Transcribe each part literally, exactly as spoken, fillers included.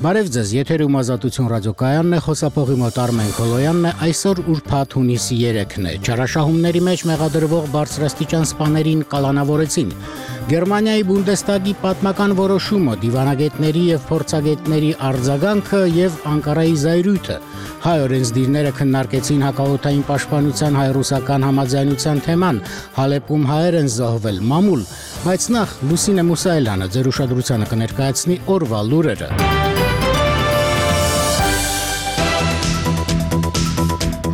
Բարև ձեզ, եթերում Ազատություն ռադիոկայանն է, խոսափողի մոտ Արմեն Քոլոյանն է, այսօր ուրբաթ հունիսի երեքն է, չարաշահումների մեջ մեղադրվող բարձրաստիճան սպաներին կալանավորեցին, Գերմանիայի Բունդեստագի պատմական որոշումը, դիվանագետների և փորձագետների արձագանքը և Անկարայի զայրույթը, հայ օրենսդիրները քննարկեցին հակաօդային պաշտպանության հայ-ռուսական համաձայնության թեման, Հալեպում հայեր են զոհվել, մամուլ, բայց նախ Լուսինե Մուսայելյանը ձեր ուշադրությանը կներկայացնի օրվա լուրերը։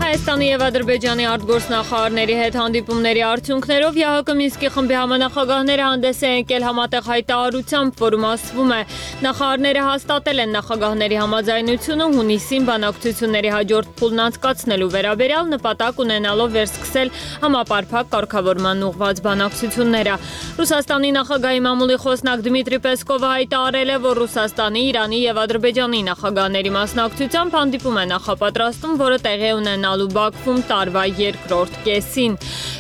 Հայաստանի և Ադրբեջանի արտգործնախարարների հետ հանդիպումների արդյունքներով ԵԱՀԿ Մինսկի խմբի համանախագահները հանդես են եկել համատեղ հայտարարությամբ, որում ասվում է, նախարարները հաստատել են նախագահների համաձայնությունը հունիսին բանակցությունների հաջորդ փուլն անցկացնելու վերաբերյալ, նպատակ ունենալով վերսկսել համապարփակ կարգավորման ուղղված բանակցությունները։ Ռուսաստանի նախագահի մամուլի խոսնակ Դմիտրի Պեսկովը հայտարարել է, որ Ռուսաստանի, Իրանի և Ադրբեջանի նախագահների մասնակցությամբ հանդիպում է նախապատրաստում, որը տեղի ունենալու Բաքվում տարվա երկրորդ կեսին։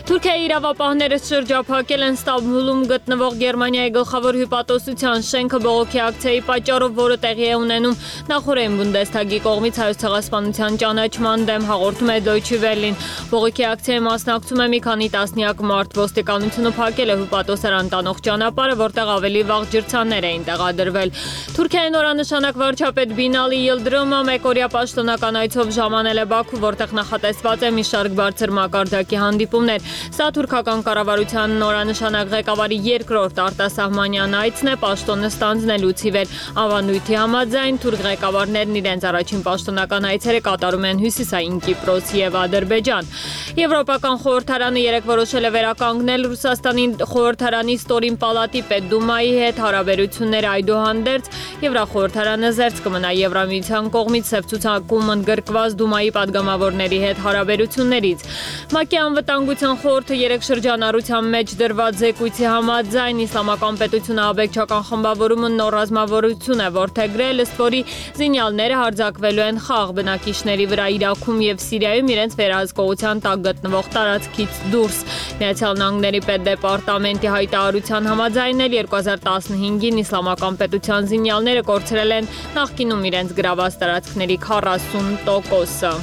Թուրքիայի իրավապահները շրջափակել են Ստամբուլում գտնվող Գերմանիայի գլխավոր հյուպատոսության շենքը բողոքի ակցիայի պատճառով, որը տեղի է ունենում նախօրեին Բունդեստագի կողմից Հայոց ցեղասպանության ճանաչման դեմ, հաղորդում է Դոյչե Վելին։ Բողոքի ակցիայի մասնակցում է մի քանի տասնյակ մարդ, ոստիկանությունը փակել է հյուպատոսարան տանող ճանապարհը, որտեղ ավելի վաղ ջրցաններ էին տեղադրվել։ Թուրքիայի նորանշանակ վարչապետ Բինալի Յիլդրիմը մեկօրյա պաշտոնական այցով ժամանել է Բաքու, որտեղ նախատեսված է մի շարք բարձր մակարդակի հանդիպումներ։ Սա թուրքական կառավարության նորանշանակ ղեկավարի երկրորդ արտասահմանյան այցն է պաշտոնը ստանձնելուց ի վեր։ Ավանդույթի համաձայն թուրք ղեկավարներն իրենց առաջին պաշտոնական այցերը կատարում են Հյուսիսային Կիպրոս և Ադրբեջան։ Եվրոպական խորհրդարանը երեկ որոշել է վերականգնել Ռուսաստանի խորհրդարանի ստորին պալատի պետդումայի հետ հարաբերությունները, այդուհանդերձ Եվրախորհրդարանը զերծ կմնա Եվրամիության կողմից սև ցուցակում ընդգրկված դումայի падգամավորների հետ հարաբերություններից։ ՄԱԿ-ի անվտանգության խորհուրդը երեք շրջանառության մեջ դրված զեկույցի համաձայն իսլամական պետությունը աբեկչական խմբավորումը նոր ռազմավարություն է որդեգրել, ըստ որի զինյալները հարձակվելու են խաղ բնակիչների վրա Իրաքում և Սիրիայում իրենց վերահսկողության տակ գտնվող տարածքից դուրս։ Միացյալ Նահանգների պետդեպարտամենտի հայտարարության համաձայն էլ երկու հազար տասնհինգին իսլամական պետության զինյալները կորցրել են նախկինում իրենց գրաված տարածքների քառասուն տոկոսը։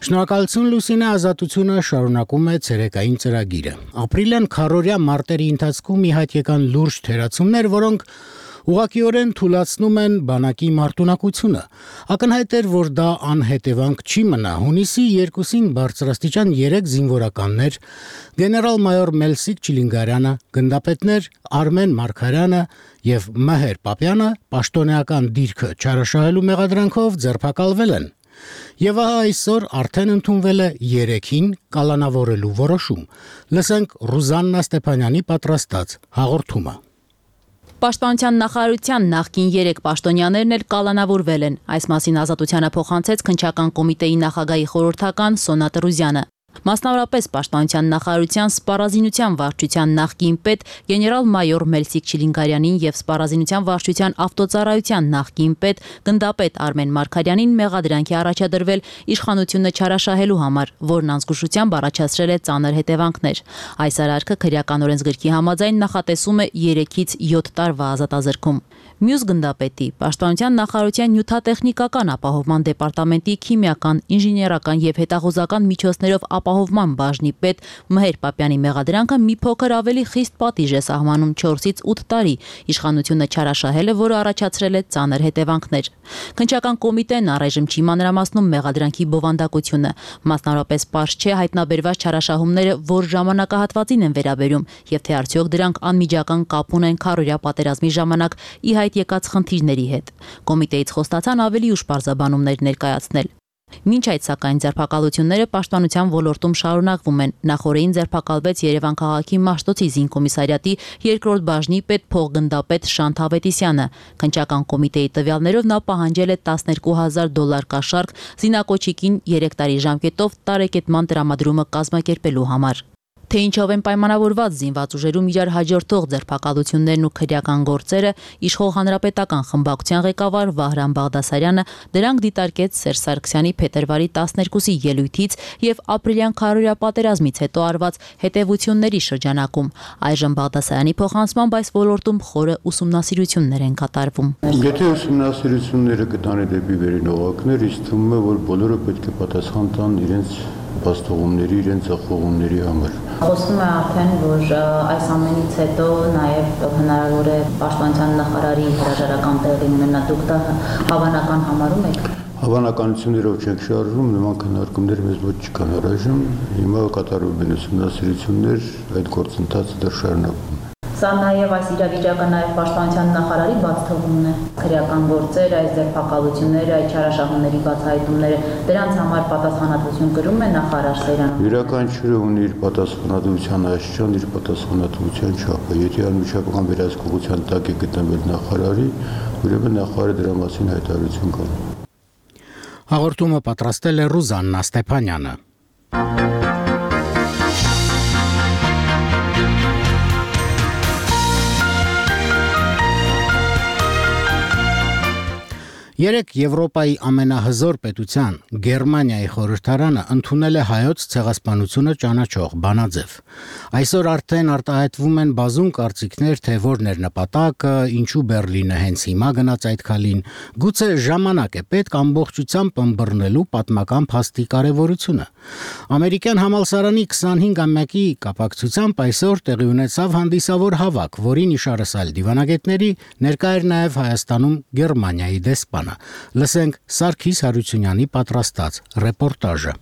Շնորհակալություն Լուսինե, Ազատությունը շարունակում է ցերեկային ծրագիրը։ Ապրիլյան քառօրյա մարտերի ընթացքում մի հատ եկան լուրջ թերացումներ, որոնք ուղղակիորեն թուլացնում են բանակի մարտունակությունը։ Ակնհայտ էր, որ դա անհետևանք չի մնա։ Հունիսի երկուսին բարձրաստիճան երեք զինվորականներ, գեներալ-մայոր Մելսիկ Չիլինգարյանը, գնդապետներ Արմեն Մարգարյանը և Մհեր Պապյանը պաշտոնեական դիրքը չարաշահելու մեղադրանքով ձերբակալվել են։ Եվ ահա այսօր արդեն ընդունվել է երեքին կալանավորելու որոշում։ Լսենք Ռուզաննա Ստեփանյանի պատրաստած հաղորդումը։ Պաշտպանության նախարարության նախկին երեք պաշտոնյաներն էլ կալանավորվել են։ Այս մասին Ազատությանը փոխանցեց քննչական կոմիտեի նախագահի խորհրդական Սոնա Տրուզյանը։ Մասնավորապես Պաշտպանության նախարարության սպառազինության վարչության նախկին պետ գեներալ-մայոր Մելսիկ Չիլինգարյանին եւ սպառազինության վարչության ավտոծառայության նախկին պետ գնդապետ Արմեն Մարգարյանին մեղադրանքի առաջադրվել իշխանությունը չարաշահելու համար, որն անզգուշությամբ առաջացրել է ծանր հետևանքներ։ Այս արարքը քրեական օրենսգրքի համաձայն նախատեսում է երեքից յոթ տարվա ազատազրկում։ Մյուս գնդապետի Պաշտպանության նախարարության նյութատեխնիկական ապահովման դեպարտամենտի քիմիական, ինժեներական եւ հետախուզական միջոցներով ապահովման բաժնի պետ Մհեր Պապյանի մեղադրանքը մի փոքր ավելի խիստ պատիժ է սահմանում չորսից ութ տարի։ Իշխանությունը չարաշահել է, որը առաջացրել է ծանր հետևանքներ։ Քննչական կոմիտեն առայժմ չի մանրամասնում մեղադրանքի բովանդակությունը։ Մասնավորապես պարզ չէ հայտնաբերված չարաշահումները որ ժամանակահատվածին են վերաբերում եւ թե արդյոք դրանք անմիջական կապ ունեն քարորյա պատերազմի ժամանակ ի հայտ եկած խնդիրների հետ։ Կոմիտեից խոստացան ավելի ուշ պարզաբանումներ ներկայացնել։ Մինչ այդ սակայն ձերբակալությունները պաշտպանության ոլորտում շարունակվում են։ Նախորդին ձերբակալվեց Երևան քաղաքի Մաշտոցի զինկոմիսարիատի երկրորդ բաժնի պետ փոխգնդապետ Շանթ Ավետիսյանը։ Քննչական կոմիտեի տվյալներով նա պահանջել է տասներկու հազար դոլար կաշառք զինակոչիկին երեք տարի ժամկետով տարեկետման տրամադրումը կազմակերպելու համար։ Թե ինչով են պայմանավորված զինված ուժերում իրար հաջորդող ձերբակալություններն ու քրեական գործերը, իշխող հանրապետական խմբակցության ղեկավար Վահրամ Բաղդասարյանը դրանք դիտարկեց Սերժ Սարգսյանի փետրվարի տասներկուսի ելույթից եւ ապրիլյան քարորյա պատերազմից հետո արված հետևությունների շրջանակում։ Այժմ Բաղդասարյանի փոխանցմամբ այս ոլորտում խորը ուսումնասիրություններ են կատարվում։ Եթե ուսումնասիրությունները կտանի դեպի վերին օղակներ, ինձ թվում է, որ բոլորը պետք է պատասխան տան իրենց բաստողումների, իրենց ախողումների համար։ Խոսվում է արդեն, որ այս ամենից հետո նաև հնարավոր է պաշտպանության նախարարի հրաժարական տեղի ունենա։ Դուք դա հավանական համարում եք։ Հավանականություններով չենք շարժվում, նման քննարկումներ մեզ ոչ չկան առայժմ։ Հիմա կատարվում են ուսումնասիրություններ, այդ գործընթացը դեռ շարունակվում է։ Սա նաև այս իրավիճակը նաև պաշտպանության նախարարի բաց թողումն է։ Քրեական գործեր, այս ձերբակալությունները, այդ չարաշահումների բացահայտումները, դրանց համար պատասխանատվություն կրում է նախարար Սեյրանը։ Յուրաքանչյուրը ունի իր պատասխանատվության աստիճան, իր պատասխանատվության չափը։ Եթե անմիջական վերահսկողության տակ է գտնվել նախարարի, ուրեմն նախարարը դրա մասին հայտարարություն կանի։ Հաղորդումը պատրաստել է Ռուզաննա Ստեփանյանը։ Երեք Եվրոպայի ամենահզոր պետության Գերմանիայի խորհրդարանը ընդունել է հայոց ցեղասպանությունը ճանաչող բանաձև։ Այսօր արդեն արտահայտվում են բազում կարծիքներ, թե որն էր նպատակը, ինչու Բերլինը հենց հիմա գնաց այդ քալին։ Գուցե ժամանակ է պետք ամբողջությամբ ըմբռնելու պատմական փաստի կարևորությունը։ Ամերիկյան համալսարանի քսանհինգամյակի կապակցությամբ այսօր տեղի ունեցավ հանդիսավոր հավաք, որին իշարասալ դիվանագետների ներկա էր նաև Հայաստանում Գերմանիայի դեսպան։ Լսենք Սարգիս Հարությունյանի պատրաստած ռեպորտաժը։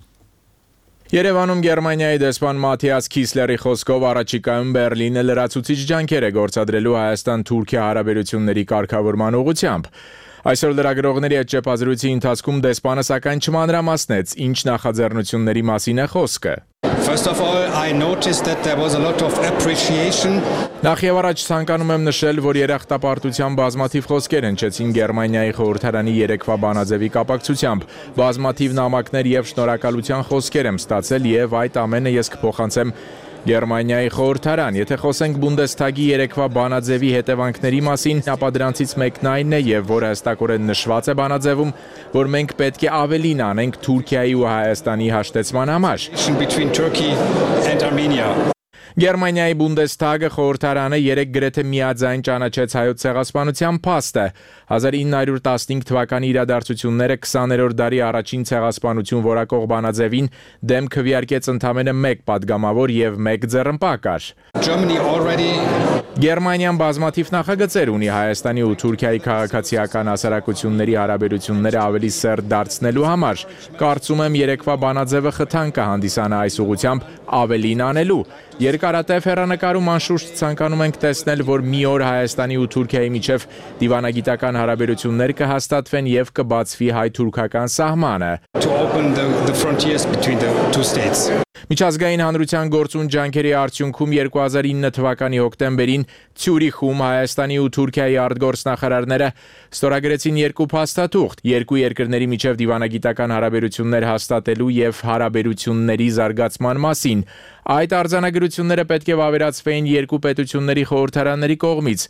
Երևանում Գերմանիայի դեսպան Մաթիաս Քիսլերի խոսքով առաջիկայում Բերլինը լրացուցիչ ջանքեր է գործադրելու Հայաստան-Թուրքիա հարաբերությունների կարգավորման ուղղությամբ։ Այսօր լրագրողների հետ ճեպազրույցի ընթացքում դեսպանը սակայն չմանրամասնեց, ինչ նախաձեռնությունների մասին է խոսքը։ First of all, I noticed that there was a lot of appreciation. Նախ եւ առաջ ցանկանում եմ նշել, որ երախտապարտության բազմաթիվ խոսքեր հնչեցին Գերմանիայի խորհրդարանի երեկվա բանաձևի կապակցությամբ։ Բազմաթիվ նամակներ եւ շնորհակալության խոսքեր եմ ստացել եւ այդ ամենը ես կփոխանցեմ Գերմանիայի խորհրդարան։ Եթե խոսենք Բունդեսթագի երեկվա բանաձևի հետևանքների մասին, ապա դրանցից մեկն այն է եւ որը հստակորեն նշված է բանաձևում, որ մենք պետք է ավելին անենք Թուրքիայի ու Հայաստանի հաշտեցման համար։ Between Turkey and Armenia. Գերմանիայի Բունդեսթագը խորհրդարանը երեք գրեթե միաձայն ճանաչեց հայոց ցեղասպանության փաստը։ հազար ինը հարյուր տասնհինգ թվականի իրադարձությունները քսաներորդ դարի առաջին ցեղասպանություն որակող բանաձևին դեմ քվեարկեց ընդամենը մեկ падգամավոր եւ մեկ ձեռնպա կար։ Germany already Գերմանիան բազմաթիվ նախագծեր ունի Հայաստանի ու Թուրքիայի քաղաքացիական հասարակությունների հարաբերությունները ավելի սերտ դարձնելու համար։ Կարծում եմ երեկվա բանաձևը խթան կհանդիսանա այս ուղղությամբ ավելին անելու։ Երկարատև հեռանկարում անշուշտ ցանկանում ենք տեսնել, որ մի օր Հայաստանի ու Թուրքիայի միջև դիվանագիտական հարաբերություններ կհաստատվեն եւ կբացվի հայ-թուրքական սահմանը։ to open the, the frontiers between the two states. Միջազգային հանրության գործուն ջանքերի արդյունքում երկու հազար ինը թվականի հոկտեմբերին Ցյուրիխում Հայաստանի ու Թուրքիայի արտգործնախարարները ստորագրեցին երկու փաստաթուղթ՝ երկու երկրների միջև դիվանագիտական հարաբերություններ հաստատելու եւ հարաբերությունների զարգացման մասին։ Այդ արձանագրությունները պետք է վավերացվեին երկու պետությունների խորհրդարանների կողմից։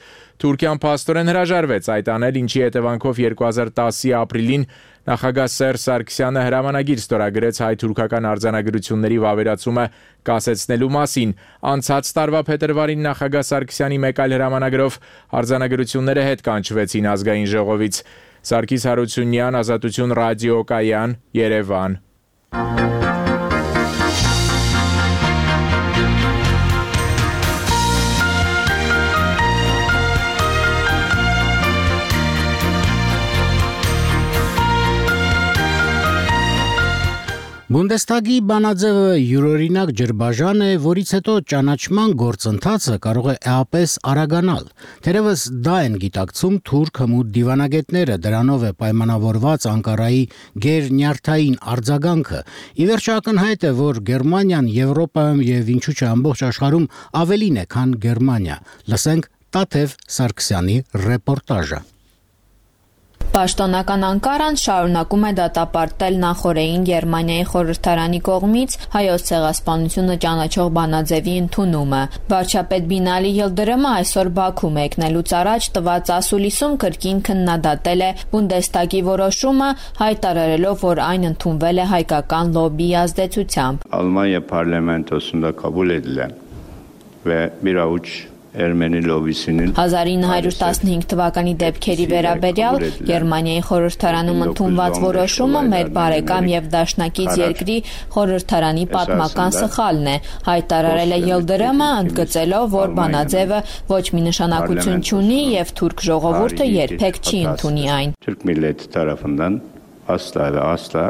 Թուրքիան փաստորեն հրաժարվեց այդ անել, ինչի հետևանքով երկու հազար տասի ապրիլին նախագահ Սերժ Սարգսյանը հրամանագիր ստորագրեց հայ-թուրքական արձանագրությունների վավերացումը կասեցնելու մասին։ Անցած տարվա փետրվարին նախագահ Սարգսյանի մեկ այլ հրամանագրով արձանագրությունները հետ կանչվեցին ազգային ժողովից։ Սարգիս Հարությունյան, Ազատություն ռադիոկայան, Երևան։ Բունդեստագի բանաձևը յուրօրինակ ջրբաժան է, որից հետո ճանաչման գործընթացը կարող է էապես արագանալ։ Թերևս դա են գիտակցում թուրք հմուտ դիվանագետները, դրանով է պայմանավորված Անկարայի գերնյարդային արձագանքը։ Ի վերջո ակնհայտ է, որ Գերմանիան Եվրոպայում եւ ինչու՞ չէ ամբողջ աշխարհում ավելին է, քան Գերմանիա։ Լսենք Տաթև Սարգսյանի ռեպորտաժը։ Պաշտոնական Անկարան շարունակում է դատապարտել նախօրեին Գերմանիայի խորհրդարանի կողմից հայոց ցեղասպանությունը ճանաչող բանաձևի ընդունումը։ Վարչապետ Բինալի Յիլդրիմը այսօր Բաքու մեկնելուց առաջ տված ասուլիսում կրկին քննադատել է Բունդեստագի որոշումը, հայտարարելով, որ այն ընդունվել է հայկական լոբբիի ազդեցությամբ։ Almanya parlamentosunda kabul edilen ve bir avuç Ermeni lobisinin հազար ինը հարյուր տասնհինգ թվականի դեպքերի վերաբերյալ Գերմանիայի խորհրդարանում ընդունված որոշումը մեր բարեկամ եւ դաշնակից երկրի խորհրդարանի պատմական սխալն է, հայտարարել է Յիլդրիմը, ընդգծելով, որ բանաձևը ոչ մի նշանակություն չունի եւ թուրք ժողովուրդը երբեք չի ընդունի այն։ Türk milleti tarafından asla ve asla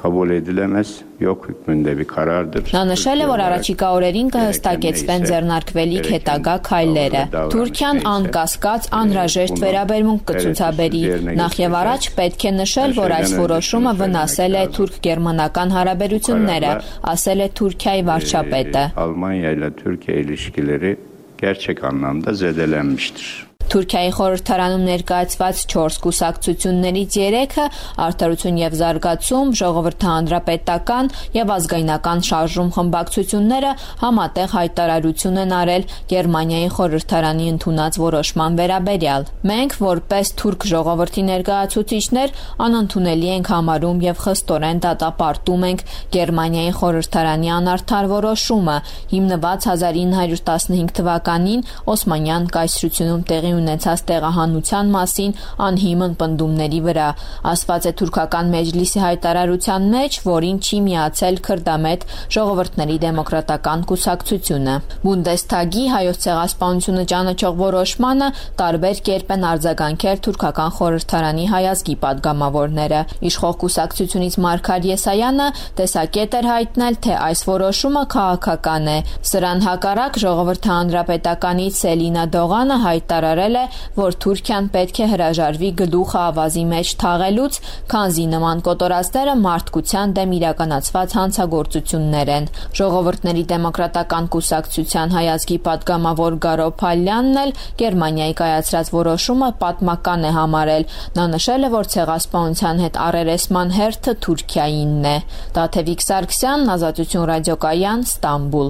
kabul edilemez, yok hükmünde bir karardır. Նա նշել է, որ առաջիկա օրերին կհստակեցվեն ձեռնարկվելիք հետագա քայլերը։ Թուրքիան անկասկած անհրաժեշտ վերաբերմունք կցուցաբերի։ Նախ եւ առաջ պետք է նշել, որ այս որոշումը վնասել է թուրք-գերմանական հարաբերությունները, ասել է Թուրքիայի վարչապետը։ Almanya ile Türkiye ilişkileri gerçek anlamda zedelenmiştir. Թուրքիայի խորհրդարանում ներկայացված չորս կուսակցություններից երեքը Արդարություն եւ զարգացում, Ժողովրդի հանրապետական եւ ազգայնական շարժում խմբակցությունները համատեղ հայտարարություն են արել Գերմանիայի խորհրդարանի ընդունած որոշման վերաբերյալ։ Մենք որպես թուրք ժողովրդի ներկայացուցիչներ անընդունելի ենք համարում եւ խստորեն դատապարտում ենք Գերմանիայի խորհրդարանի անարդար որոշումը, հիմնված հազար ինը հարյուր տասնհինգ թվականին Օսմանյան կայսրությունում տեղի ունեցած տեղահանության մասին անհիմն պնդումների վրա, ասված է թուրքական մեջլիսի հայտարարության մեջ, որին չի միացել քրդամետ ժողովրդների դեմոկրատական կուսակցությունը։ Բունդեստագի հայոց ցեղասպանությունը ճանաչող որոշմանը տարբեր կերպ են արձագանքել թուրքական խորհրդարանի հայազգի падգամավորները։ Իշխող կուսակցությունից Մարգար Եսայանը տեսակետ էր հայտնել, թե այս որոշումը քաղաքական է։ Սրան հակառակ Ժողովրդի հանրապետականից Սելինա Դողանը հայտարարել է, որ Թուրքիան պետք է հրաժարվի գլուխը ավազի մեջ թաղելուց, քանզի նման կոտորածները մարդկության դեմ իրականացված հանցագործություններ են։ Ժողովուրդների դեմոկրատական կուսակցության հայազգի падգամավոր Գարո Փալյանն էլ Գերմանիայի կայացրած որոշումը պատմական է համարել։ Նա նշել է, որ ցեղասպանության հետ առերեսման հերթը Թուրքիայինն է։ Տաթևիկ Սարգսյան, Ազատություն ռադիոկայան, Ստամբուլ։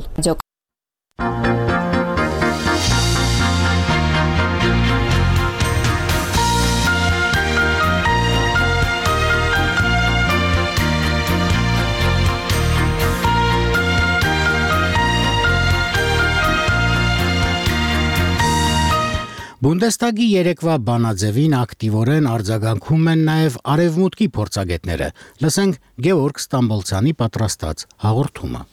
Բունդեստագի երեկվա բանաձևին ակտիվորեն արձագանքում են նաև արևմուտքի փորձագետները։ Լսենք Գեորգ Ստամբոլցյանի պատրաստած հաղորդումը։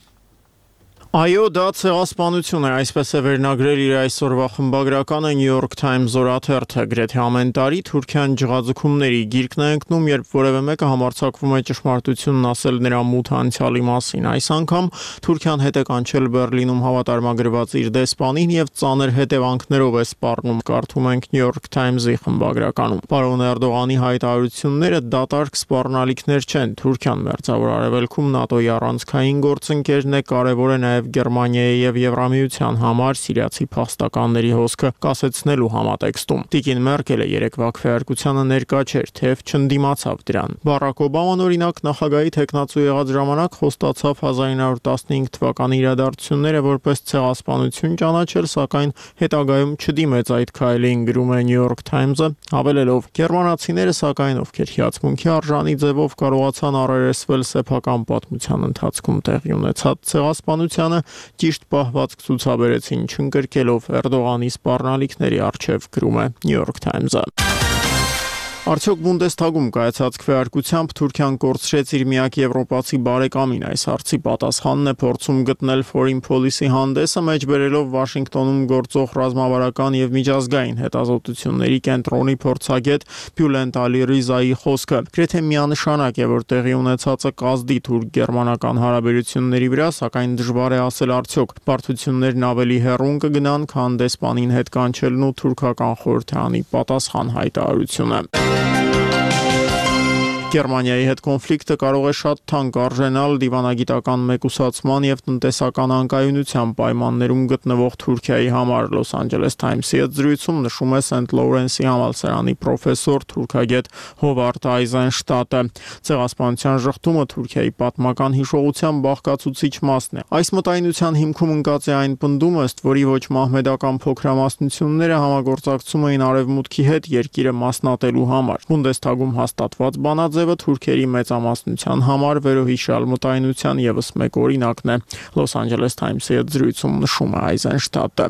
Այո, դա ցեղասպանություն է, այսպես է վերնագրել իր այսօրվա խմբագրականը New York Times օրաթերթը։ Գրեթե ամեն տարի Թուրքիան ջղաձգումների գիրկն է ընկնում, երբ որևէ մեկը համարձակվում է ճշմարտությունն ասել նրա մութ անցյալի մասին։ Այս անգամ Թուրքիան հետ է կանչել Բեռլինում հավատարմագրված իր դեսպանին եւ ծանր հետևանքներով է սպառնում, կարդում ենք New York Times-ի խմբագրականում։ Պարոն Էրդողանի հայտարարությունները դատարկ սպառնալիքներ չեն։ Թուրքիան մերձավոր արևելքում ՆԱՏՕ-ի առանցքային գործընկերն է, կարևոր է նաև Գերմանիայի եւ Եվրամիության համար սիրիացի փախստականների հոսքը կասեցնելու համատեքստում։ Տիկին Մերկելը երեկվա քվեարկությանը ներկա չէր, թեև չընդդիմացավ դրան։ Բարակ Օբաման օրինակ նախագահի տեխնացու եղած ժամանակ խոստացավ հազար ինը հարյուր տասնհինգ թվականի իրադարձությունները որպես ցեղասպանություն ճանաչել, սակայն հետագայում չդիմեց այդ քայլին, գրում է New York Times-ը, հավելելով. Գերմանացիները սակայն ովքեր հիացմունքի արժանի ձևով կարողացան առերեսվել սեփական պատմության ընթացքում տեղի ունեցած ցեղասպանությանը, ճիշտ պահվածք ցուցաբերեցին, չընկրկելով Էրդողանի սպառնալիքների առջև, գրում է New York Times-ը։ Արդյոք Բունդեսթագում կայացած քվեարկությամբ Թուրքիան կորցրեց իր միակ եվրոպացի բարեկամին, այս հարցի պատասխանն է փորձում գտնել Foreign Policy հանդեսը, մեջբերելով Վաշինգտոնում գործող ռազմավարական եւ միջազգային հետազոտությունների կենտրոնի փորձագետ Բյուլենտ Ալի-Ռիզայի խոսքը։ Գրեթե միանշանակ է, որ տեղի ունեցածը կազդի թուրք-գերմանական հարաբերությունների վրա, սակայն դժվար է ասել արդյոք բարդություններն ավելի հեռուն կգնան, քան դեսպանին հետ կանչելն ու թուրքական խորհրդարանի պատասխան հայտարարությունը։ Գերմանիայի հետ կոնֆլիկտը կարող է շատ թանկ արժենալ դիվանագիտական մեկուսացման եւ տնտեսական անկայունության պայմաններում գտնվող Թուրքիայի համար։ Լոս Անջելես Թայմսի հետ զրույցում նշում է Սենթ Լոուրենսի համալսարանի պրոֆեսոր թուրքագետ Հովարդ Այզենշտատը։ Ցեղասպանության ժխտումը Թուրքիայի պատմական հիշողության բաղկացուցիչ մասն է։ Այս մտայնության հիմքում ընկած է այն պնդումը, ըստ որի ոչ մահմեդական փոքրամասնությունները համագործակցում էին արևմուտքի հետ երկիրը մասնատելու համար։ Բունդեսթագում հաստատված բանաձ Թուրքերի մեծամասնության համար վերոհիշյալ մտայնության ևս մեկ օրինակն է։ Լոս Անջելես Թայմսի հետ զրույցում նշում է Այզենշտատը։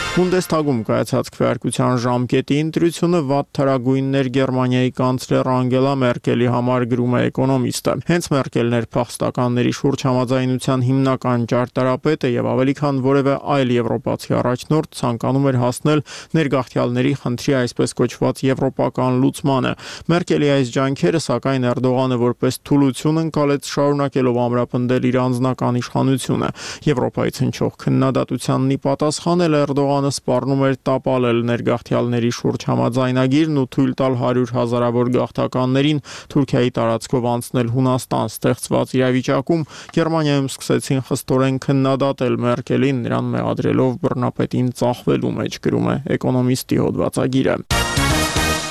Բունդեսթագում կայացած քվեարկության ժամկետի ընտրությունը վատ թարագույններ Գերմանիայի կանցլեր Անգելա Մերկելի համար, գրում է Էկոնոմիստը։ Հենց Մերկելն էր փախստականների շուրջ համաձայնության հիմնական ճարտարապետը եւ ավելի քան որևէ այլ եվրոպացի առաջնորդ ցանկանում էր հասնել ներգաղթյալների խնդրի այսպես կոչված եվրոպական լուծմանը։ Մերկելի այս ջանքերը, սակայն Էրդողանը որպես թուլություն ընկալեց, շարունակելով ամրապնդել իր անձնական իշխանությունը։ Եվրոպայից հնչող քննադատությանն ի պատասխան էլ Էրդողանը սպառնում էր տապալել ներգաղթյալների շուրջ համաձայնագիրն ու թույլ տալ հարյուր հազարավոր գաղթականներին Թուրքիայի տարածքով անցնել Հունաստան ստեղծված իրավիճակում Գերմանիայում սկսեցին խստորեն քննադատել Մերկելին, նրան մեղադրելով բռնապետին ծախվելու մեջ, գրում է Էկոնոմիստի հոդվածագիրը։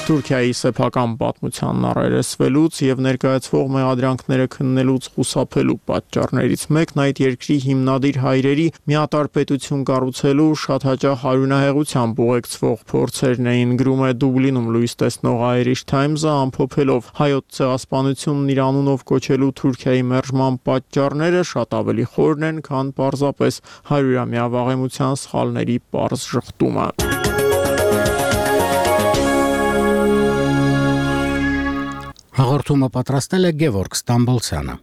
Թուրքիայի սեփական պատմությանն առերեսվելուց եւ ներկայացվող մեղադրանքները քննելուց խուսափելու պատճառներից մեկն այդ երկրի հիմնադիր հայրերի միատարր պետություն կառուցելու շատ հաճախ հարյունահեղությամբ ուղեկցվող փորձերն էին, գրում է Դուբլինում լույս տեսնող Irish Times-ը, ամփոփելով հայոց ցեղասպանությունն իր անունով կոչելու Թուրքիայի մերժման պատճառները շատ ավելի խորն են, քան պարզապես հարյուրամյա վաղեմության սխալների պարզ ժխտումը։ Հաղորդումը պատրաստել է Գևորգ Ստամբոլցյանը։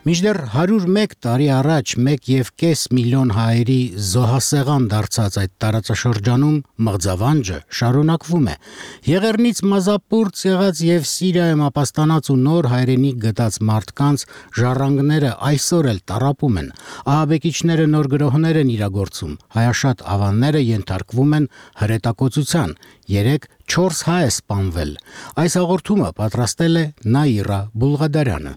Մինչդեռ հարյուր ու մեկ տարի առաջ մեկ և կես միլիոն հայերի զոհասեղան դարձած այդ տարածաշրջանում մղձավանջը շարունակվում է։ Եղեռնից մազապուրծ եղած եւ Սիրիայում ապաստանած ու նոր հայրենիք գտած մարդկանց ժառանգները այսօր էլ տառապում են։ Ահաբեկիչները նոր գրոհներ են իրագործում։ Հայաշատ ավանները ենթարկվում են հրետակոծության։ Երեք չորս հայ է սպանվել։ Այս հաղորդումը պատրաստել է Նաիրա Բուլղադարյանը։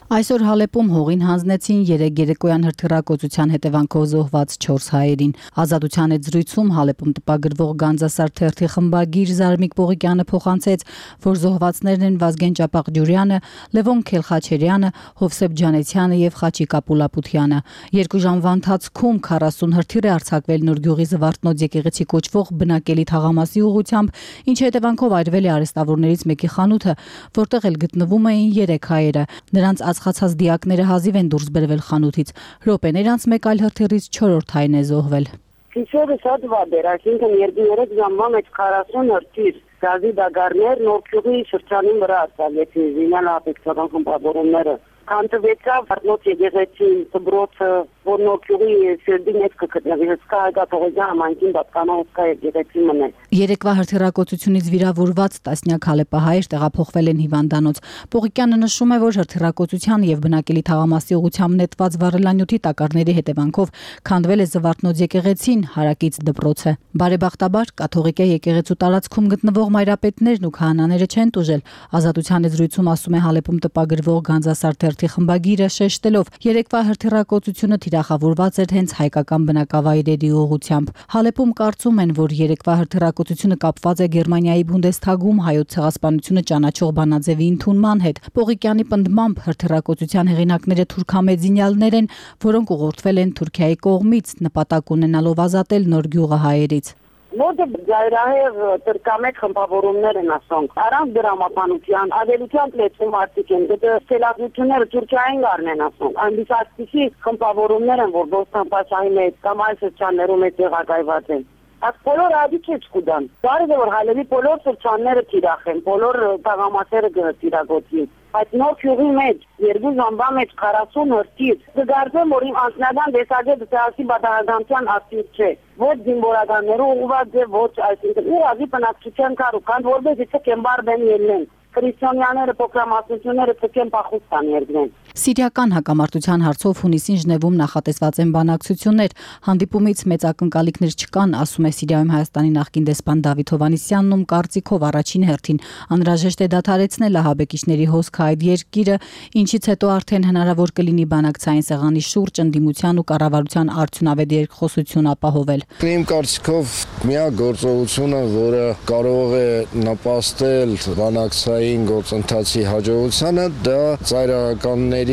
Այսօր Հալեպում հողին հանձնեցին երեք երեկոյան հրթիռակոծության հետևանքով զոհված չորս հայերին։ Ազատության հետ զրույցում Հալեպում տպագրվող Գանձասար թերթի խմբագիր Զարմիկ Պողիկյանը փոխանցեց, որ զոհվածներն են Վազգեն Ճապաղջուրյանը, Լևոն Քելխաչերյանը, Հովսեփ Ջանեցյանը եւ Խաչիկ Ապուլապությանը։ Երկու ժամվա ընթացքում քառասուն հրթիռ է արձակվել Նորգյուղի Զվարթնոց եկեղեցի կոչվող բնակելի թաղամասի ուղղությամբ, ինչի հետևանքով այրվել է արհեստավորներից մեկի խանութը, որտեղ էլ գտնվում էին երեք հայերը։ Նրանց ածխացած դիակները հազիվ են դուրս բերվել խանութից։ Րոպեներ անց մեկ այլ հրթիռից չորրորդ հայն է զոհվել։ Քիչերը շատ վատ էր, այսինքն երկու երեք ժամվա մեջ քառասուն հրթիռ գազի դագարներ Նորգյուղի շրջանի վրա արձակեցին զինյալ ահաբեկչական խմբավորումները։ Կանտվեցավ Վարդնոց եկեղեցի դբրոցը, որ Նորգյուղի շրջանի մեջ կգտնվի հսկա Հայգաթողոջյան համայնքին պատկանող հսկա եկեղեցի մնա։ Երեկվա հրթիռակոծությունից վիրավորված տասնյակ հալեպահայեր տեղափոխվել են հիվանդանոց։ Պողիկյանը նշում է, որ հրթիռակոծության եւ բնակելի թաղամասի ուղղությամբ նետված վառելանյութի տակառների հետևանքով քանդվել է Զվարթնոց եկեղեցին, հարակից դպրոցը։ Բարեբախտաբար կաթողիկե եկեղեցու տարածքում գտնվող մայրապետներն ու քահանաները չեն տուժել։ Ազատության զրույցում ասում է Հալեպում տպագրվող Գանձասար թերթի խմբագիրը, շեշտելով, երեկվա հրթիռակոծությունը թիրախավորված էր հենց հայկական բնակավայրերի ուղղությամբ։ Հալեպում կարծում են, որ երեկվա հրթիռակոծությունը կապված է Գերմանիայի Բունդեսթագում հայոց ցեղասպանությունը ճանաչող բանաձևի ընդունման հետ։ Պողիկյանի պնդմամբ հրթիռակոծության հեղինակները թուրքամեձինյալներ են, որոնք ուղղորդվել են Թուրքիայի կողմից, նպատակ ունենալով ազատել Նոր գյուղը հայերից։ Որտե ծայրահեղ տրկամետ խմբավորումներ են ասոնք։ Առանց դրամապանության, ադելության լեցում արդիկ են, դե սելացությունները Թուրքիային գարնեն ասոնք։ Այնպես այսպիսի խմբավորումներ են, որ Բոստան Պաշայի մեջ կամ այլ շրջաններում է տեղակայված են։ Այդ բոլոր ադիք է չկուդան։ Բարի է որ հայլերի բոլոր շրջանները թիրախեն, բոլոր տաղամասերը գտիրագոտի։ Այդ նոր քյուղի մեջ երկու ժամվա մեջ քառասուն հրթիռ։ Դգարձեմ որ իմ անձնական տեսակետը ցասի բادرականության ակտիվ չէ։ Ոչ զինվորականներու ուղղված է, ոչ այսինքն ուղղակի բնակչության կառուցան, որպես եթե կեմբար բեն ելնեն։ Քրիստոնյաները փոքրամասնությունները ցկեն փախուստան երգեն։ Սիրիական հակամարտության հարցով հունիսին Ժնևում նախատեսված են բանակցություններ, հանդիպումից մեծ ակնկալիքներ չկան, ասում է Սիրիայում Հայաստանի նախկին դեսպան Դավիթ Հովհաննիսյանն, ում կարծիքով առաջին հերթին անհրաժեշտ է դադարեցնել ահաբեկիչների հոսքը այդ երկիրը, ինչից հետո արդեն հնարավոր կլինի բանակցային սեղանի շուրջ ընդդիմության ու կառավարության արդյունավետ երկխոսություն ապահովել։ Իմ կարծիքով միակ գործողությունը, որը կարող է նպաստել բանակցային գործընթացի հաջողությանը, դա ծայրահեղականների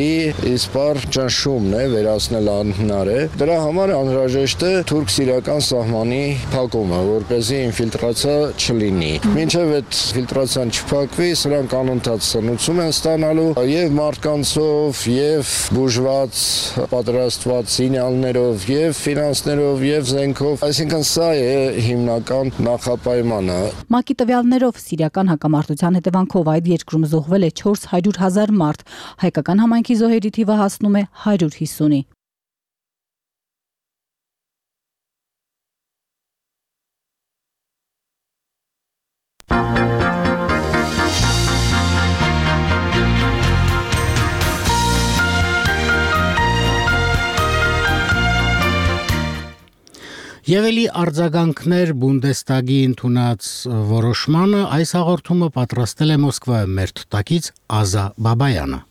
իսպար ճնշումն է, վերացնել անհնար է։ Դրա համար անհրաժեշտ է թուրք-սիրիական սահմանի փակումը, որպեսզի ինֆիլտրացիա չլինի։ Մինչև այդ ֆիլտրացիան չփակվի, սրանք անընդհատ սնուցում են ստանալու եւ մարդկանցով, եւ բուժված, պատրաստված սինյալներով, եւ ֆինանսներով, եւ զենքով։ Այսինքն սա է հիմնական նախապայմանը։ ՄԱԿ-ի տվյալներով սիրիական հակամարտության հետևանքով այդ երկրում զոհվել է չորս հարյուր հազար մարդ, հայկական համայնքի զոհերի թիվը հասնում է հարյուր հիսունի։ Եվ էլի արձագանքներ Բունդեստագի ընդունած որոշմանը այս հաղորդումը պատրաստել է Մոսկվայում մեր թղթակից Ազա Բաբայանը։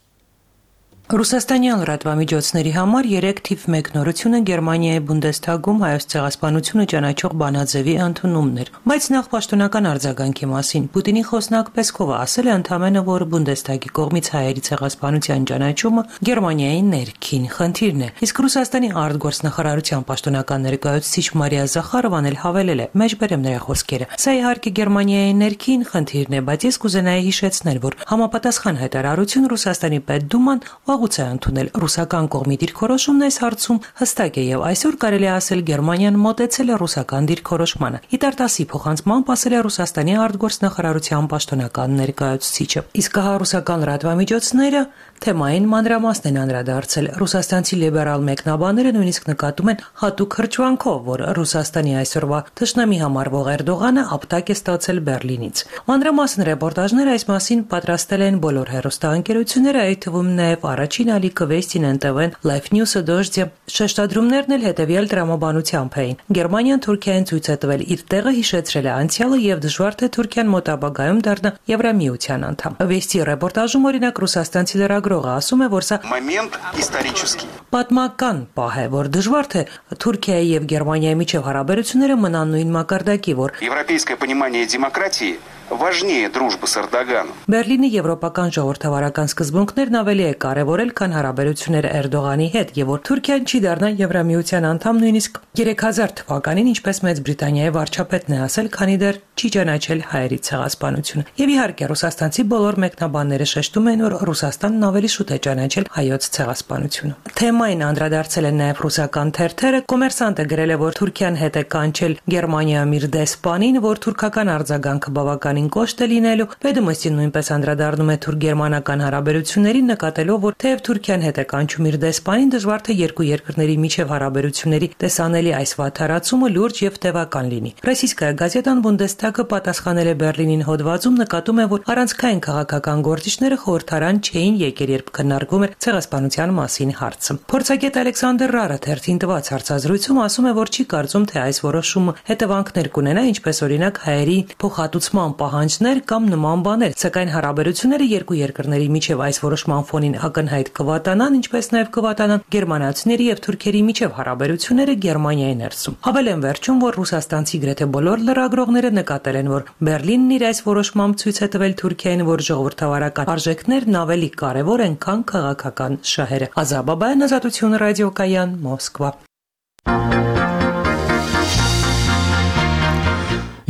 Ռուսաստանյան լրատվամիջոցների համար երեք թիվ մեկ նորությունը Գերմանիայի Բունդեստագում հայոց ցեղասպանությունը ճանաչող բանաձևի ընդունումն էր, բայց նախ պաշտոնական արձագանքի մասին Պուտինի խոսնակ Պեսկովը ասել է ընդամենը, որ Բունդեստագի կողմից հայերի ցեղասպանության ճանաչումը Գերմանիայի ներքին խնդիրն է, իսկ Ռուսաստանի արտգործնախարարության պաշտոնական ներկայացուցիչ Մարիա Զախարովան էլ հավելել է, մեջբերեմ նրա խոսքերը. Սա իհարկե Գերմանիայի ներքին խնդիրն է, բայց ես կուզենայի հիշեցնել, որ համապատասխան հայտարարություն Ռուսաստանի պետդուման վաղուց է ընդունել ռուսական կողմի դիրքորոշումն այս հարցում հստակ է եւ այսօր կարելի է ասել Գերմանիան մոտեցել է ռուսական դիրքորոշմանը։ Իտարտասի փոխանցմամբ ասել է Ռուսաստանի արտգործնախարարության պաշտոնական ներկայացուցիչը։ Իսկ հա ռուսական լրատվամիջոցները թեմային մանրամասն են անդրադարձել։ Ռուսաստանցի լիբերալ մեկնաբանները նույնիսկ նկատում են հատուկ հրճվանքով, որ Ռուսաստանի այսօրվա թշնամի համարվող Էրդողանը ապտակ է ստացել Բերլինից։ Մանրամասն ռեպորտաժները այս մասին պատրաստել են բոլոր հեռուստաընկերությունները, այդ թվում նաեւ առաջին ալիքը Վեստին են տվեն Life News-ը դոժձե շեշտադրումներն էլ հետևյալ դրամաբանությամբ էին։ Գերմանիան Թուրքիային ցույց է տվել իր տեղը, հիշեցրել է անցյալը եւ դժվար թե Թուրքիան մոտ ապագայում դառնա Եվրամիության անդամ։ Վեստի ռեպորտաժում օրինակ ռուսաստանցի լրագրողը ասում է, որ սա момент исторический։ Պատմական պահ է, որ դժվար թե Թուրքիայի եւ Գերմանիայի միջև հարաբերությունները մնան նույն մակարդակի, որ Европейское понимание демократии важнее дружбы с Эрдоганом։ Բերլինի եվրոպական ժողովրդավարական սկզբունքներն ավելի է կարևորել, քան հարաբերությունները Էրդողանի հետ, եւ որ Թուրքիան չի դառնա Եվրամիության անդամ նույնիսկ երեք հազար թվականին, ինչպես Մեծ Բրիտանիայի վարչապետն է ասել, քանի դեռ չի ճանաչել հայերի ցեղասպանությունը։ Եվ իհարկե ռուսաստանցի բոլոր մեկնաբանները շեշտում են, որ Ռուսաստանն ավելի շուտ է ճանաչել հայոց ցեղասպանությունը։ Թեմային անդրադարձել են նաեւ ռուսական թերթերը։ Կոմերսանտը գրել է, որ Թուրքիան հետ է կանչել Գերմանիայում իր դեսպանին, որ թուրքական արձագանքը բավական կոշտ է լինելու։ Վեդոմոստին նույնպես անդրադառնում է թուրք-գերմանական հարաբերություններին, նկատելով, որ թեև Թուրքիան հետ է կանչում իր դեսպանին, դժվար թե երկու երկրների միջև հարաբերությունների տեսանելի այս վատթարացումը լուրջ եւ տևական լինի։ Ռոսիյսկայա գազետան Բունդեստագը պատասխանել է Բերլինին հոդվածում, նկատում է, որ առանցքային քաղաքական գործիչները խորհրդարան չէին եկել, երբ քննարկվում էր ցեղասպանության մասին հարցը։ Փորձագետ Ալեքսանդր Ռարը թերթին տված հարցազրույցում ասում է, որ չի կարծում, թե այս որոշումը հետևանքներ կունենա, ինչպես օրինակ հայերի փոխհատուցման պահանջներ կամ նման բաներ, սակայն հարաբերությունները երկու երկրների միջև այս որոշման ֆոնին ակնհայտ կվատանան, ինչպես նաև կվատանան գերմանացիների եւ թուրքերի միջև հարաբերությունները Գերմանիայի ներսում։ Հավելեն վերջում, որ ռուսաստանցի գրեթե բոլոր լրագրողները նկատել են, որ Բերլինն իր այս որոշմամբ ցույց է տվել Թուրքիային, որ ժողովրդավարական արժեքներն ավելի կարևոր են, քան քաղաքական շահերը։ Ազաբաբայան, Ազատություն ռադիոկայան, Մոսկվա։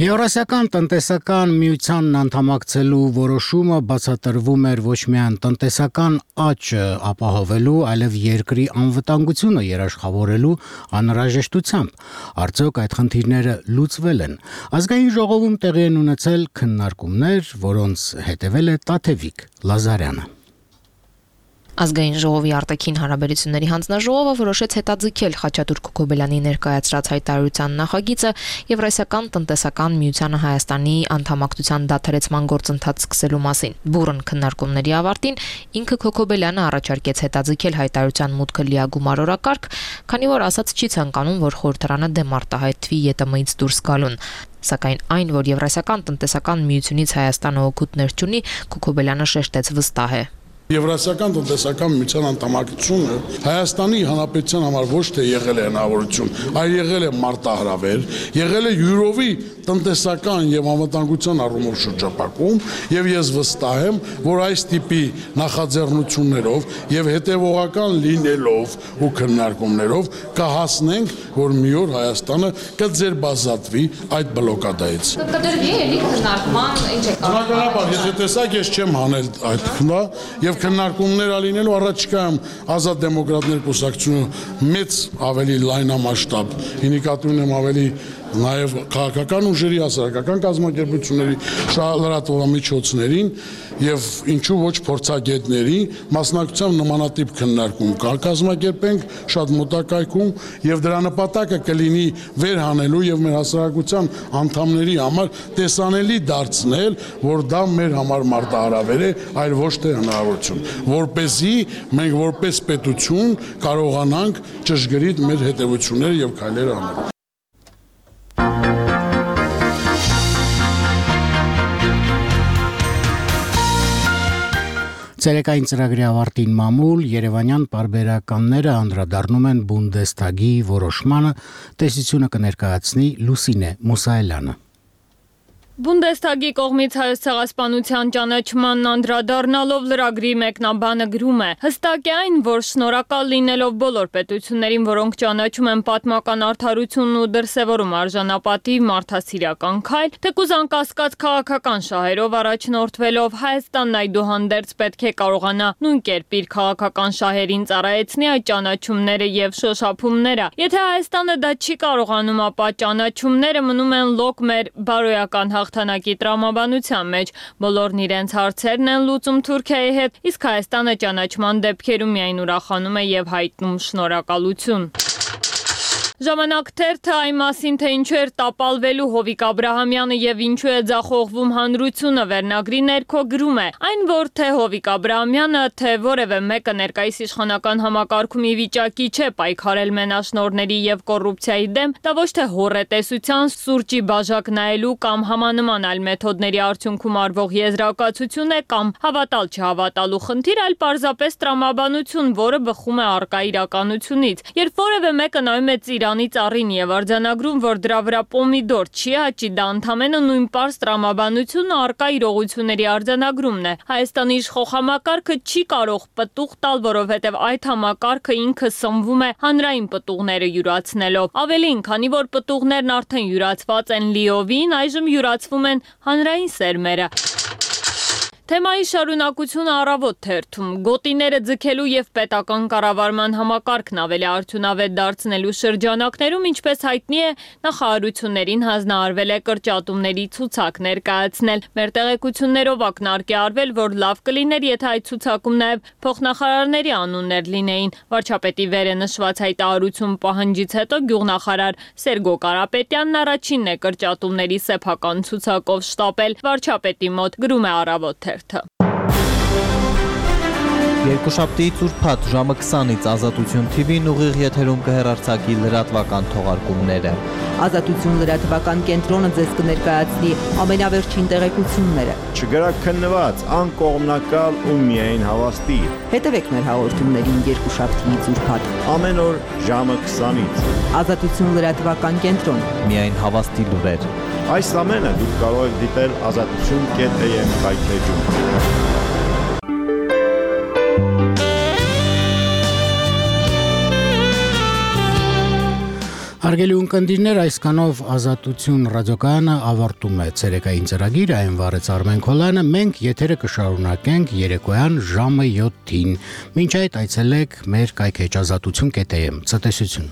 Եվրասիական տնտեսական միությանն անդամակցելու որոշումը բացատրվում էր ոչ միայն տնտեսական աճը ապահովելու, այլև երկրի անվտանգությունը երաշխավորելու անհրաժեշտությամբ։ Արդյոք այդ խնդիրները լուծվել են։ Ազգային ժողովում տեղի են ունեցել քննարկումներ, որոնց հետևել է Տաթևիկ Լազարյանը։ Ազգային ժողովի արտաքին հարաբերությունների հանձնաժողովը որոշեց հետաձգել Խաչատուր Քոքոբելյանի ներկայացրած հայտարարության նախագիծը Եվրասիական տնտեսական միությանը Հայաստանի անդամակցության դադարեցման գործընթաց սկսելու մասին։ Բուրըն քննարկումների ավարտին ինքը Քոքոբելյանը առաջարկեց հետաձգել հայտարարության մուտքը լիագումար օրակարգ, քանի որ ասաց չի ցանկանում, որ խորհրդարանը դեմ արտահայտվի Ե Տ Մ-ից դուրս գալուն։ Սակայն այն, որ Եվրասիական տնտեսական միությունից Հայաստանը օգուտներ չունի, Քոքոբելյանը շեշտեց վստահ է։ Եվրասիական տնտեսական միության անդամակցությունը Հայաստանի Հանրապետության համար ոչ թե եղել է հնարավորություն, այլ եղել է մարտահրավեր, եղել է յուրովի տնտեսական եւ անվտանգության առումով շրջապակում, եւ ես վստահ եմ, որ այս տիպի նախաձեռնություններով եւ հետեւողական լինելով ու քննարկումներով կհասնենք, որ մի օր Հայաստանը կձերբազատվի այդ բլոկադայից։ Կդրվի էլի քննարկման, ինչ է կարող։ Բնականաբար, եթե տեսակ ես չեմ հանել այդ քննա եւ քննարկումներ ալինելու առաջիկայում Ազատ դեմոկրատներ կուսակցությունը մեծ ավելի լայնամասշտաբ, ինիկատիվ եմ ավելի նաև քաղաքական ուժերի, հասարակական կազմակերպությունների լրատվամիջոցներին եւ ինչու ոչ փորձագետների մասնակցությամբ նմանատիպ քննարկում կազմակերպենք շատ մոտակայքում եւ դրա նպատակը կլինի վերհանելու եւ մեր հասարակության անդամների համար տեսանելի դարձնել, որ դա մեր համար մարտահրավեր է, այլ ոչ թե հնարավորություն, որպեսզի մենք որպես պետություն կարողանանք ճշգրիտ մեր հետևությունները եւ քայլերը անել։ Ցերեկային ծրագրի ավարտին մամուլ Երևանյան պարբերականները անդրադառնում են Բունդեստագի որոշմանը, տեսությունը կներկայացնի Լուսինե Մուսայելյանը։ Բունդեստագի կողմից Հայոց ցեղասպանության ճանաչմանն անդրադառնալով լրագրի մեկնաբանը գրում է. հստակ է այն, որ շնորհակալ լինելով բոլոր պետություններին, որոնք ճանաչում են պատմական արդարությունն ու դրսևորում արժանապատիվ մարդասիրական քայլ, թեկուզ անկասկած քաղաքական շահերով առաջնորդվելով Հայաստանն այդուհանդերձ պետք է կարողանա նույն կերպ իր քաղաքական շահերին ծառայեցնի այդ ճանաչումները եւ շոշափումները։ Եթե Հայաստանը դա չի կարողանում, ապա ճանաչումները մնում են լոկ մեր բարոյական հաղթանակի տրամաբանության մեջ, բոլորն իրենց հարցերն են լուծում Թուրքիայի հետ, իսկ Հայաստանը ճանաչման դեպքերում միայն ուրախանում է եւ հայտնում շնորհակալություն։ Ժամանակ թերթը այն մասին, թե ինչու էր տապալվելու Հովիկ Աբրահամյանը եւ ինչու է ձախողվում հանրությունը վերնագրի ներքո գրում է. այն, որ թե Հովիկ Աբրահամյանը, թե որևէ մեկը ներկայիս իշխանական համակարգում ի վիճակի չէ պայքարել մենաշնորհների եւ կոռուպցիայի դեմ, դա ոչ թե հոռետեսության, սուրճի բաժակ նայելու կամ համանման այլ մեթոդների արդյունքում արվող եզրակացություն է կամ հավատալ չհավատալու խնդիր, այլ պարզապես տրամաբանություն, որը բխում է առկա իրականությունից։ Երբ որևէ մեկը նայում է Իրանից առին եւ արձանագրում, որ դրա վրա պոմիդոր չի հաճի, դա ընդամենը նույն պարզ տրամաբանությունն առկա իրողությունների արձանագրումն է։ Հայաստանի իշխող համակարգը չի կարող պտուղ տալ, որովհետեւ այդ համակարգը ինքը սնվում է հանրային պտուղները յուրացնելով։ Ավելին, քանի որ պտուղներն արդեն յուրացված են լիովին, այժմ յուրացվում են հանրային սերմերը։ Թեմայի շարունակությունը առավոտ թերթում գոտիները ձգելու եւ պետական կառավարման համակարգն ավելի արդյունավետ դարձնելու շրջանակներում, ինչպես հայտնի է, նախարարություններին հանձնարարվել է կրճատումների ցուցակ ներկայացնել։ Մեր տեղեկություններով ակնարկ է արվել, որ լավ կլիներ, եթե այդ ցուցակում նաեւ փոխնախարարների անուններ լինեին։ Վարչապետի վերը նշված հայտարարություն պահանջից հետո գյուղնախարար Սերգո Կարապետյանն առաջինն է կրճատումների սեփական ցուցակով շտապել վարչապետի մոտ, գրում է Առավոտ թերթ։ Երկուշաբթիից ուրբաթ ժամը քսանից Ազատություն Թի Վին ուղիղ եթերում կհեռարձակի լրատվական թողարկումները։ Ազատություն լրատվական կենտրոնը ձեզ կներկայացնի ամենավերջին տեղեկությունները։ Չգրաքննված, անկողմնակալ ու միայն հավաստի։ Հետևեք մեր հաղորդումներին երկուշաբթիից ուրբաթ ամեն օր ժամը քսանից։ Ազատություն լրատվական կենտրոն։ Միայն հավաստի լուրեր։ Այս ամենը դուք կարող եք դիտել ազատություն կետ է եմ հայթեջում։ Հարգելի ունկնդիրներ, այսքանով Ազատություն ռադիոկայանը ավարտում է ցերեկային ծրագիրը, այն վարեց Արմեն Քոլյանը, մենք եթերը կշարունակենք երեկոյան ժամը յոթին։ Մինչ այդ այցելեք մեր կայքեջ ազատություն կետ am։ Ցտեսություն։